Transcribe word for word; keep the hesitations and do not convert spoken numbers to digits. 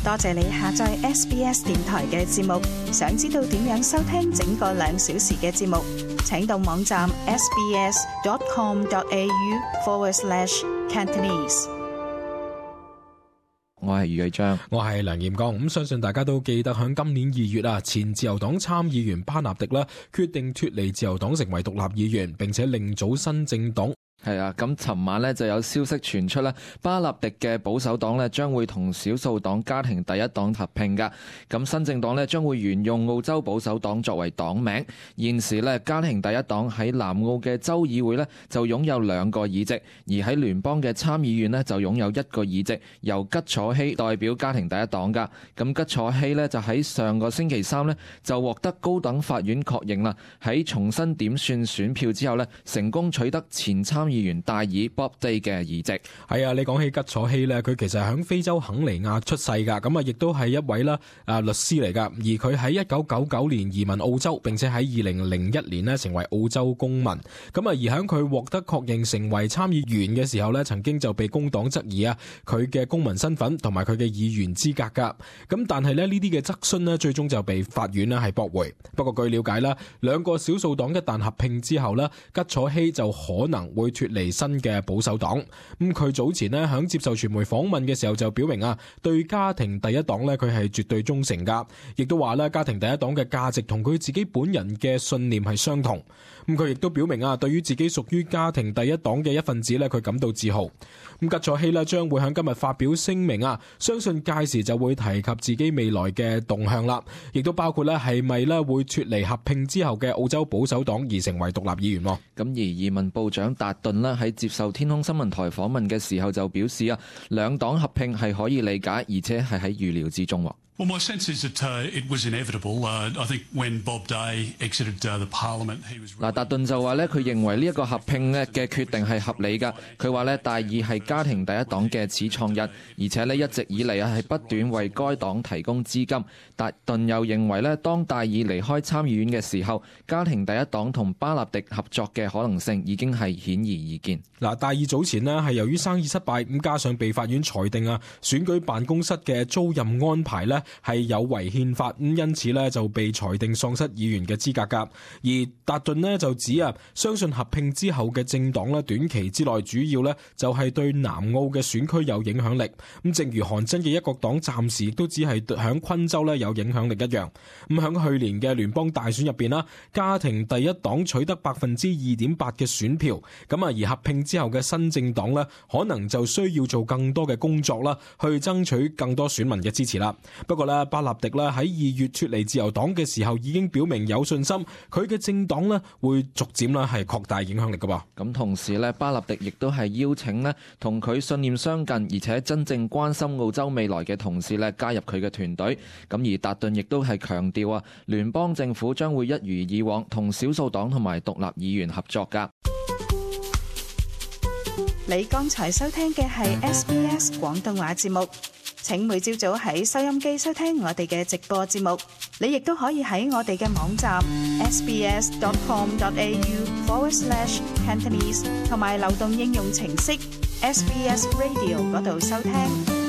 多謝你下載 S B S 電台嘅節目。想知道點樣收聽整個兩小時嘅節目，請到網站 sbs.com.au forward slash Cantonese。我係余偉章，我係梁彥剛。咁相信大家都記得喺今年二月啊，前自由黨參議員巴納迪啦，決定脫離自由黨成為獨立議員，並且另組新政黨。係啊，咁尋晚呢就有消息傳出咧，巴納迪嘅保守黨呢將會同少數黨家庭第一黨合併噶。咁新政黨呢將會沿用澳洲保守黨作為黨名。現時呢，家庭第一黨喺南澳嘅州議會呢就擁有兩個議席，而喺聯邦嘅參議院呢就擁有一個議席，由吉楚希代表家庭第一黨噶。咁吉楚希呢就喺上個星期三呢就獲得高等法院確認啦，喺重新點算選票之後呢，成功取得前參議員戴爾 Bob Day 嘅議席。係啊，你講起吉楚希呢，佢其實喺非洲肯尼亞出世噶，咁啊亦都係一位啦啊律師嚟噶。而佢喺一九九九年移民澳洲，並且喺二零零一年呢成為澳洲公民。咁啊而喺佢獲得確認成為參議員嘅時候呢，曾經就被工黨質疑啊佢嘅公民身份同埋佢嘅議員資格噶。咁但係呢呢啲嘅質詢呢，最終就被法院呢係駁回。不過據了解啦，兩個少數黨一旦合併之後呢，吉楚希就可能會脫離新嘅保守黨。咁佢早前呢響接受傳媒訪問嘅時候就表明啊，對家庭第一黨呢，佢係絕對忠誠噶，亦都話咧家庭第一黨嘅價值同佢自己本人嘅信念係相同。咁佢亦都表明啊，對於自己屬於家庭第一黨嘅一份子呢，佢感到自豪。咁吉楚希呢將會喺今日發表聲明啊，相信屆時就會提及自己未來嘅動向啦，亦都包括呢係咪呢會脫離合併之後嘅澳洲保守黨而成為獨立議員。咁而移民部長達頓呢喺接受天空新聞台訪問嘅時候就表示啊，兩黨合併係可以理解，而且係喺預料之中。Well, my sense is that uh, it was inevitable. Uh, I think when Bob Day exited uh, the Parliament, he was. 嗱，達頓就話咧，佢認為呢一個合併咧嘅決定係合理㗎。佢話咧，戴爾係家庭第一黨嘅始創人，而且咧一直以嚟啊係不斷為該黨提供資金。達頓又認為咧，當戴爾離開參議院嘅時候，家庭第一黨同巴納迪合作嘅可能性已經係顯而易見。嗱，戴爾早前呢係由於生意失敗，咁加上被法院裁定啊選舉辦公室嘅租賃安排呢係有違憲法，咁因此呢就被裁定喪失議員嘅資格噶。而達頓呢就指啊，相信合併之後嘅政黨呢短期之內主要呢就係對南澳嘅選區有影響力。咁正如韓真嘅一國黨暫時亦都只係響昆州呢有影響力一樣。咁響去年嘅聯邦大選入邊啦，家庭第一黨取得百分之二點八嘅選票，咁啊而合併之後嘅新政黨呢可能就需要做更多嘅工作啦，去爭取更多選民嘅支持啦。不過呢，巴納迪咧喺二月脫離自由黨嘅時候已經表明有信心，佢嘅政黨咧會逐漸咧係擴大影響力噶噃。咁同時咧，巴納迪亦都係邀請咧同佢信念相近而且真正關心澳洲未來嘅同事咧加入佢嘅團隊。咁而達頓亦都係強調啊，聯邦政府將會一如以往同少數黨同埋獨立議員合作噶。你剛才收聽嘅係 S B S 廣東話節目。請每朝早喺收音機收聽我哋嘅直播節目，你亦都可以喺我哋嘅網站 sbs.com.au forward slash Cantonese 同埋流動應用程式 S B S Radio 嗰度收聽。